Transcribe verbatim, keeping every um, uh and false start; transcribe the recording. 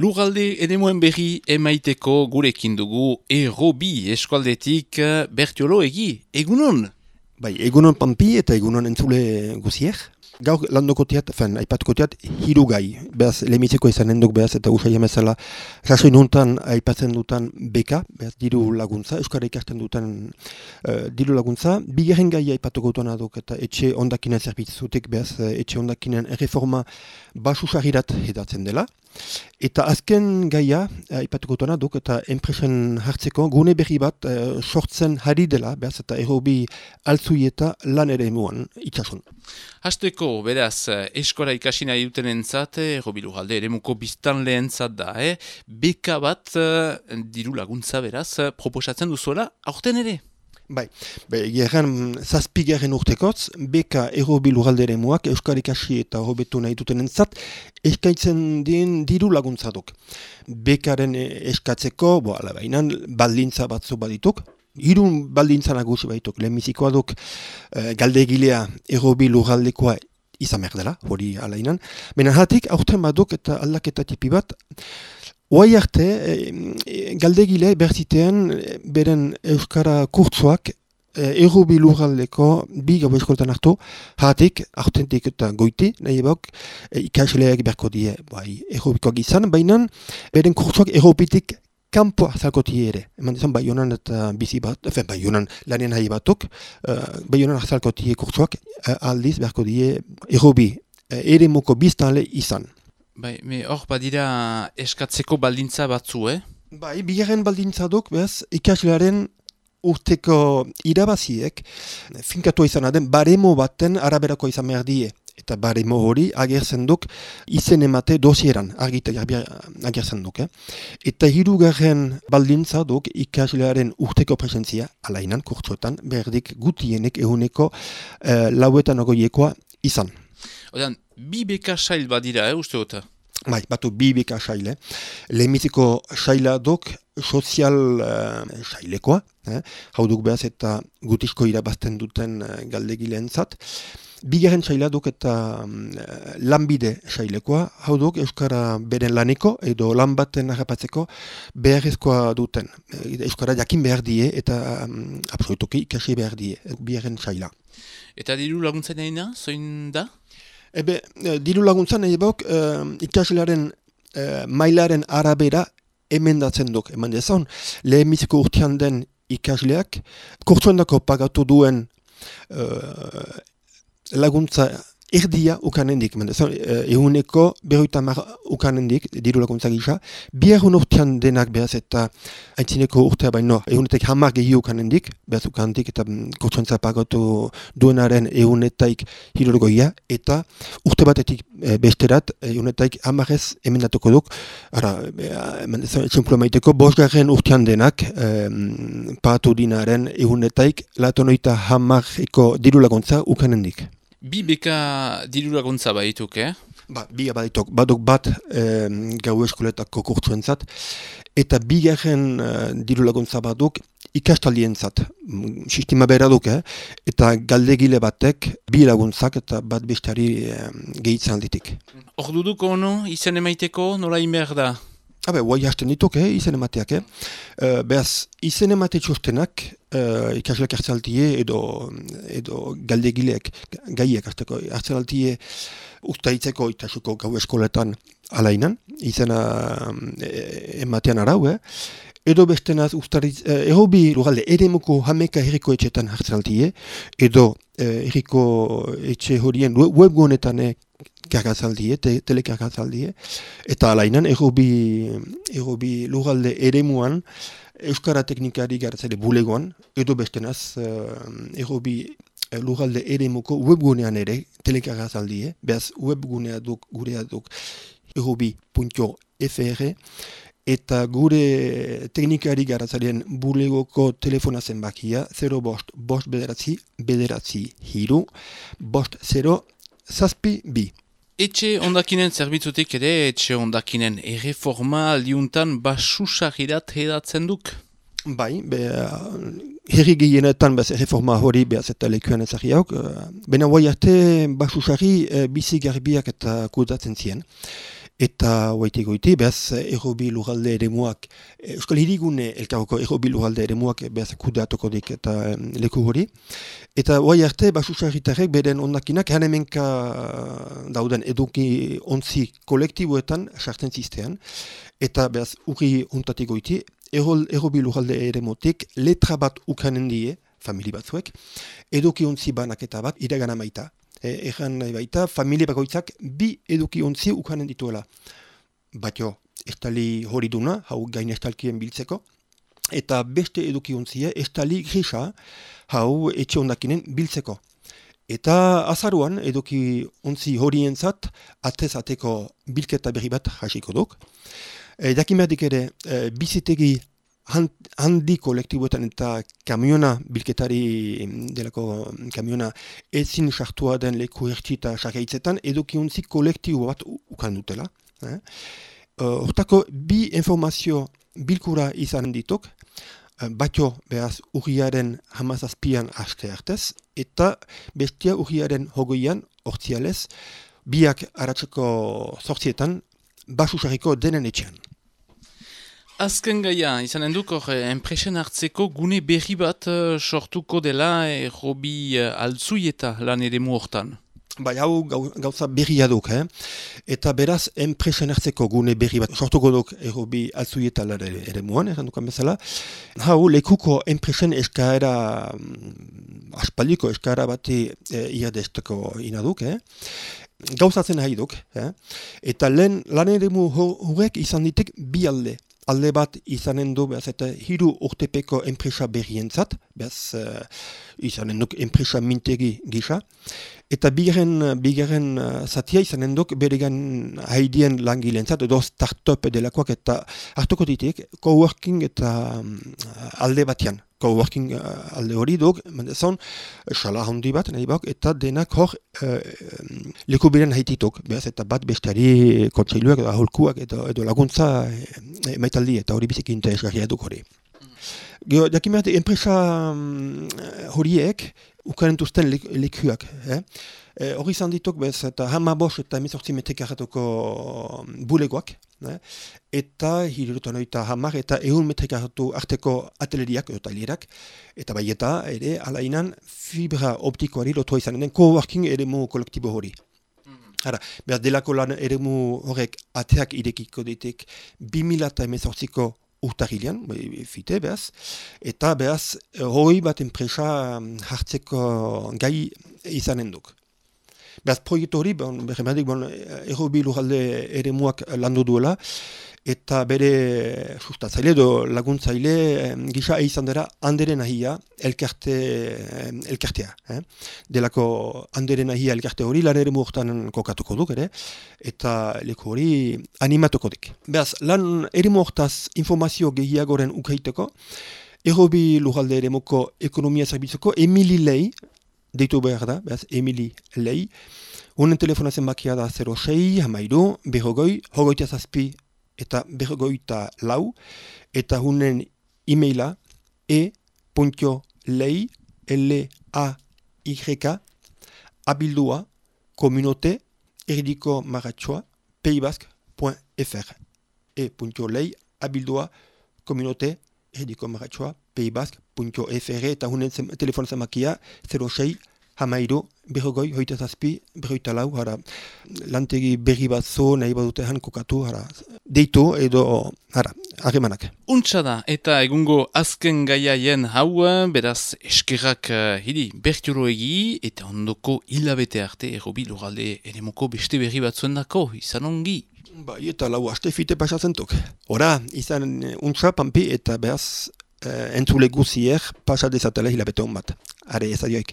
Lurralde eremuen berri emaiteko gurekin dugu Errobi eskualdetik Bertiolo egi, egunon? Bai, egunon Pampi eta egunon entzule guziek. Gaur landoko teat, fen, aipatuko teat, hiru gai. Beaz, lehimitzeko izanen duk, beaz, eta usai amezala, sasoin hontan aipatzen dutan beka, beaz, diru laguntza, euskara ikasten duten uh, diru laguntza. Bigarren gai aipatuko duan aduk, eta etxe ondakinen zerbitzutik, beaz, etxe ondakinen erreforma basusagirat edatzen dela. Eta azken gaia, aipatuko duan aduk, eta enpresen hartzeko gune berri bat uh, sortzen hari dela, beaz, eta Errobi altzuieta lan ere emuan itxasun. Hasteko, beraz, eskora ikasi nahi duten entzat, Errobi Lurralde eremuko biztan lehentzat da, eh? Beka bat, diru laguntza beraz, proposatzen duzuela, aurten ere? Bai, be, gerran zazpigaren urtekotz, beka Errobi Lurralde eremuak euskara ikasi eta hobetu nahi duten entzat, eskaintzen dien diru laguntza duk. Bekaren eskatzeko, bo, ala bainan, baldintza batzu badituk, Hirun baldintza nagusi baituk, lehenbizikoa duk e, galdegilea Errobi Lurraldekoa izan behar dela, hori alainan. Benen hatik, aurten baduk eta aldaketa tipi bat, oai arte, e, galdegile berzitean beren euskara kurtzoak e, Errobi Lurraldeko bi gau eskoltan hartu, hatik, aurtentik eta goiti, nahi ebok, e, ikasleak berko die, bai, Errobikoak izan, baina beren kurtzoak Errobitik kanpo azalkoti ere. Eman dizan, Baionan eta bizi bat, efen, Baionan lanien nahi batuk, uh, Baionan azalkoti kurtsuak uh, aldiz beharko die Errobi uh, eremuko biztanle izan. Bai, me hor badira eskatzeko baldintza batzu, eh? Bai, bigarren baldintza duk, behaz, ikaslearen urteko irabaziek, finkatu izan aden, baremo baten araberako izan behar die. Eta baremo hori agertzen duk izen emate dosieran, argita agertzen duk. Eh? Eta hirugarren baldintza duk ikaslearen urteko presentzia, alainan, kurtsuetan, berdik gutienek ehuneko eh, lauetan ogoiekoa izan. Odan, bi beka sail badira, eh, uste gota? Bai, batu bi beka saile. Lehenbiziko saila duk sozial uh, sailekoa, eh? Hau duk behaz eta gutizko irabazten duten uh, galdegileentzat. Bigarren saila duk eta um, lanbide sailekoa, hau duk euskara beren laneko edo lan baten harrapatzeko beharrezkoa duten. Euskara jakin behar die eta um, absolutoki ikasi behar die, bigarren saila. Eta diru laguntza nahina, zoin da? Ebe, diru laguntza nahi bok, uh, ikaslearen uh, mailaren arabera emendatzen duk. Eman dezan, lehenbiziko urtean den ikasleak, kurtsuendako pagatu duen uh, laguntza erdia ukanendik, ehuneko berroita hamar ukanendik, diru laguntza gisa, biharun urtean denak behaz eta aintzineko urtea baino, ehunetek hamar gehi ukanendik, behaz ukanendik eta kurtsuentza pagatu duenaren ehunetaik hirurgoia, eta urte batetik e, besterat, ehunetaik hamarez emendatuko duk, ara, etxemplu maiteko, bosgarren urtean denak, e, pagatu dinaren ehunetaik latonoita hamareko diru laguntza ukanendik. Bi beka diru laguntza badituk, eh? Ba, bi badituk, baduk bat eh, gau eskoletako kurtsuentzat, eta bigarren eh, diru laguntza baduk ikastaldientzat. Sistema bera duk, eh? Eta galdegile batek bi laguntzak eta bat bestari eh, gehitzen alditik. Hor duduko ono, izen emaiteko, nola inber da? Habe, guai hasten dituk, eh, izen emateak, eh? Uh, Beaz, izen emate txostenak, uh, ikasleak hartzaltie edo, edo galdegileak, gaiek hartzaltie ustaitzeko itasuko gau eskoletan alainan, izena eh, ematean arau, eh? Edo bestenaz, ustaritz, eh, Errobi Lurralde eremuko hameka herriko etxetan hartzaltie, edo eh, herriko etxe horien webgunetan eh, kargazaldie, te, telekargazaldie, eta alainan Errobi, Errobi Lurralde eremuan euskara teknikari gartzale bulegoan, edo bestenaz uh, Errobi Lurralde eremuko webgunean ere telekargazaldie, behaz webgunea duk, gurea duk errobi puntu f r, eta gure teknikari garatzaren bulegoko telefona zenbakia zero bost, bost bederatzi, bederatzi hiru, bost zero, zazpi bi. Etxe ondakinen zerbitzutik ere, etxe ondakinen erreforma aldiuntan basusagirat hedatzen duk? Bai, be, herri gehienetan bez erreforma hori behaz eta lekuen ezagri hauk, bena guai arte basusari bizi garbiak eta kudatzen zien. eta hoaiti goiti, behaz errobi lurralde eremuak, Euskal Hirigune elkarroko errobi lurralde eremuak behaz kudeatuko dik eta um, leku hori. Eta hoai arte, basusarritarrek beren ondakinak hanemenka dauden eduki ontzi kolektiboetan sartzen ziztean. Eta behaz urri ontatik goiti, errobi lurralde eremotik letra bat ukanen die, famili batzuek, eduki ontzi banaketa bat iragana maita. Egan nahi baita, familie bakoitzak bi eduki ontzi ukanen dituela. Batio, estali hori duna, hau gain estalkien biltzeko, eta beste eduki ontzia, estali grisa, hau etxe ondakinen biltzeko. Eta azaruan, eduki ontzi horientzat, atez ateko bilketa berri bat hasiko duk. E, Dakimerdik ere, e, bizitegi handi kolektiboetan eta kamiona bilketari delako kamiona ezin sartua den leku ertxita sargaitzetan edukiontzi kolektibo bat ukan dutela. Eh? Hortako bi informazio bilkura izan dituk, batio behaz urriaren hamazazpian aste artez, eta bestia urriaren hogoian hortzialez, biak aratzeko zortzietan basusarriko denen etxean. Azken gaia, izanen duk, hor, enpresen hartzeko gune berri bat uh, sortuko dela errobi uh, altzuieta lan eremu hortan. Bai, hau gauza berria duk, eh? Eta beraz, enpresen hartzeko gune berri bat sortuko duk errobi altzuieta lan eremuan, erran dukan bezala. Hau, lekuko enpresen eskaera, um, aspaldiko eskaera bati eh, iadesteko inaduk, eh? Gauzatzen nahi duk, eh? Eta lehen lan eremu horrek izan ditek bi alde. Alde bat izanen du, behaz, eta hiru urtepeko enpresa berrientzat, behaz, uh, izanen duk enpresa mintegi gisa, eta bigarren, bigarren uh, zatia izanen duk beregan haidien langilentzat, edo start-up delakoak eta hartuko ditik, coworking eta um, alde batian. Coworking uh, alde hori duk, mendezon, sala handi bat, nahi bak, eta denak hor uh, leku beren haitituk, behaz, eta bat besteari kontseiluak, edo aholkuak, edo, edo laguntza e, maitaldi, eta hori biziki interesgarria duk hori. Gero, dakimerte, enpresa um, horiek, ukarentuzten lekuak, eh? E, hori izan dituk, bez, eta hama bos eta emezortzi metrikaratoko bulegoak, eh? Eta hirurotan oita hamar eta egun metrikaratu arteko ateleriak, edo talierak, eta bai eta ere alainan fibra optikoari lotua izan den coworking eremu kolektibo hori. Hara, behar delako lan eremu horrek ateak irekiko ditek bi mila emezortziko urtarilean, fite behaz, eta behaz hori bat enpresa hartzeko gai izanen duk. Behaz proiektu hori, bon, berremadik, bon, errobi lurralde eremuak landu duela, eta bere sustatzaile edo laguntzaile gisa izan dira handeren ahia elkarte, elkartea. Eh? Delako handeren ahia elkarte hori lan eremu hortan kokatuko duk ere, eta leku hori animatuko dik. Behaz, lan eremu hortaz informazio gehiagoren ukaiteko, errobi lurralde eremuko ekonomia zerbitzuko Emili Lei, deitu behar da, behaz, Emili Lei, honen telefona zenbakia da zero sei, hamairu, berrogoi, hogoita zazpi, eta berrogoita lau, eta hunen e-maila e.lei, L-A-Y, abildua, komunote, erdiko maratxoa, peibask.fr. E.lei, abildua, komunote, erdiko maratxoa, peibask.fr, eta hunen telefon zemakia zero sei, hamairu, berrogoi, hoita zazpi, berroita lau, hara, lantegi berri bat zo, nahi badute han kokatu, hara, deitu edo, hara, harremanak. Untsa da, eta egungo azken gaiaien hau, beraz eskerrak uh, hiri bertiuro egi, eta ondoko hilabete arte errobi lurralde eremuko beste berri batzuen dako, izan ongi. Bai, eta lau aste fite pasazentuk. Hora, izan untsa, pampi, eta behaz, uh, entzule guzier, pasat dezatela hilabete hon bat. Are, ez adioik.